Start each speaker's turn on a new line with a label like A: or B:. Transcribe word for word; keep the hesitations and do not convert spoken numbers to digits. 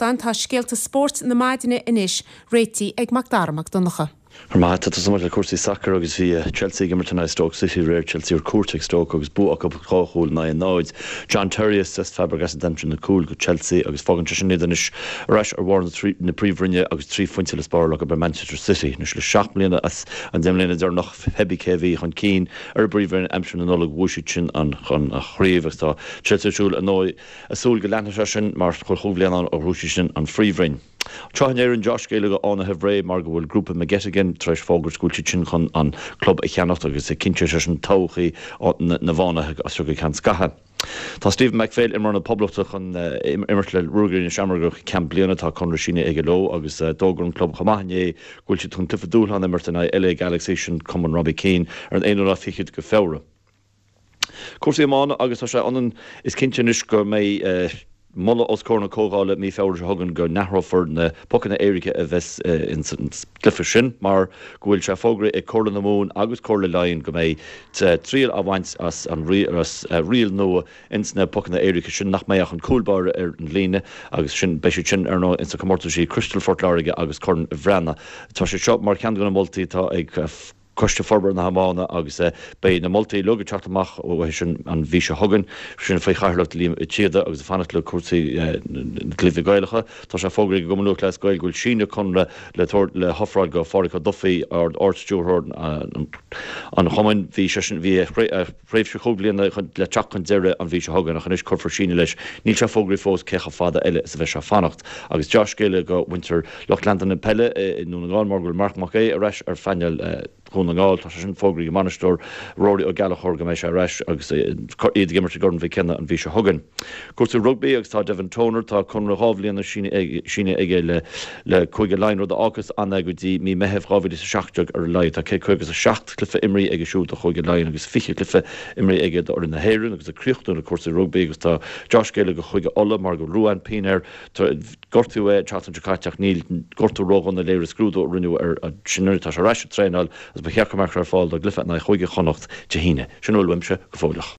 A: nuachtáin, tá scéalta spóirt na maidine anois réitithe ag Macdara Mac Donncha.
B: Má tá le cúrsaí sacair agus bhí Chelsea ag imirt in Stoke City aréir Chelsea ar cuairt ag Stoke agus bua acu dhá chúl in aghaidh náid. John Terry is Cesc Fabregas a d'aimsigh na cúil do Chelsea agus fágann sé sin iad anois ar ais ar bharr na príomhroinne agus trí phointe le spáráil acu ar Manchester City. Anois le seacht mbliana as an deich mbliana deireanach pé cé a bhí chun cinn ar an bpríomhroinn aimsir na Nollag bhuaigh siad sin an chun a chraobh agus tá Chelsea siúl an a súil go leanfaidh sé sin mar chuile chúig bhliain ó bhuaigh siad sin an phríomhroinn. Tráth in Éirinn deá-scéala do Fhánaithe Bhré mar go bhfuil grúpa McGettigan tar éis fógairt go bhfuil siad sin chun an club a cheannacht agus cinnteoidh sé sin todhchaí na bhFánaithe as seo go ceann scaithimh. Tá Stephen McPhail imreoir na Poblachta chun imirt le Ruagairí na Seamróige go ceann bliana tá conradh sínithe aige leo agus d'fhógair an club chomh maith inné go bhfuil siad chun cluiche dúshláin a imirt in aghaidh LA Galaxy sin cumann Robbie Keane ar an aonú lá fichead de Feabhra. Cúrsaí iomána agus tá sé ionann is cinnte anois go mbeidh moladh os comhair na Comhdhála mí Feabhra seo chugainn go n-athrófar na pocanna éirice a bheas ins an gcluiche sin mar go bhfuil sé fógraithe ag Comhairle na Mumhan agus Comhairle Laighean go mbeidh triail á bhaint as an riail nua ins na pocanna éirice sin nach mbeidh ach an cúl báire ar an líne agus sin beidh siad sin ar ndóigh ins na comórtaisí Crystal Phort Láirge agus Corn Bhreathnaigh. Tá sé seo mar cheann de na moltaí atá ag Coiste Forbartha na hIomána agus beidh na moltaí uilig ag teacht amach uathu sin an mhí seo chugainn, sin faoi chathaoirleacht Liam Ó Síoda agus ag fanacht le cúrsaí na gcluichí Gaelacha. Tá sé fógraithe ag an gCumann Lúthchleas Gael go bhfuil síneadh conradh le tabhairt le hofráil do Phádhraic Ó Dufaigh, Ard-Stiúrthóir an chumainn. Bhí sé sin bhí a thréimhse chúig bliana le teacht chun deireadh an mhí seo chugainn ach anois cuirfear síneadh leis. Níl sé fógraithe fós cé chomh fada eile is a bheidh sé ag fanacht. Agus dea-scéala do mhuintir lucht leanta na peile i nDún na nGall mar go bhfuil Marc Mac Aodha ar ais ar phainéal Dhún na nGall. Tá sé sin fógraithe ag an mbainisteoir Rory Ó Gallchóir go mbeidh sé ar ais agus iad ag imirt i gCorn Mhic Cionnaith an mhí seo chugainn. Cúrsaí rugbaí agus tá Devin Toner, tá conradh dhá bhliana sínithe aige le le Cúige Laighean, rud a fhágfas ann é go dtí mí Meitheamh dhá mhíle is a seacht déag ar a laghad. Tá céad caoga is a seacht cluiche imrithe aige siúd do Chúige Laighean agus fiche cluiche imrithe aige d'fhoireann na hÉireann agus ag críochnú le cúrsaí rugbaí agus tá dea-scéala do Chúige Uladh mar go bhfuil Ruan Pienaar gortaíodh é an tseachtain seo caite ach níl gortú ródhona léirigh scrúdú a rinneadh air sin tá sé ar ais ag traenáil agus ba cheart go mbeadh sé ar fáil dá gcluiche in aghaidh Chúige Chonnacht Dé hAoine. Sin a bhfuil uaimse go fóilleach.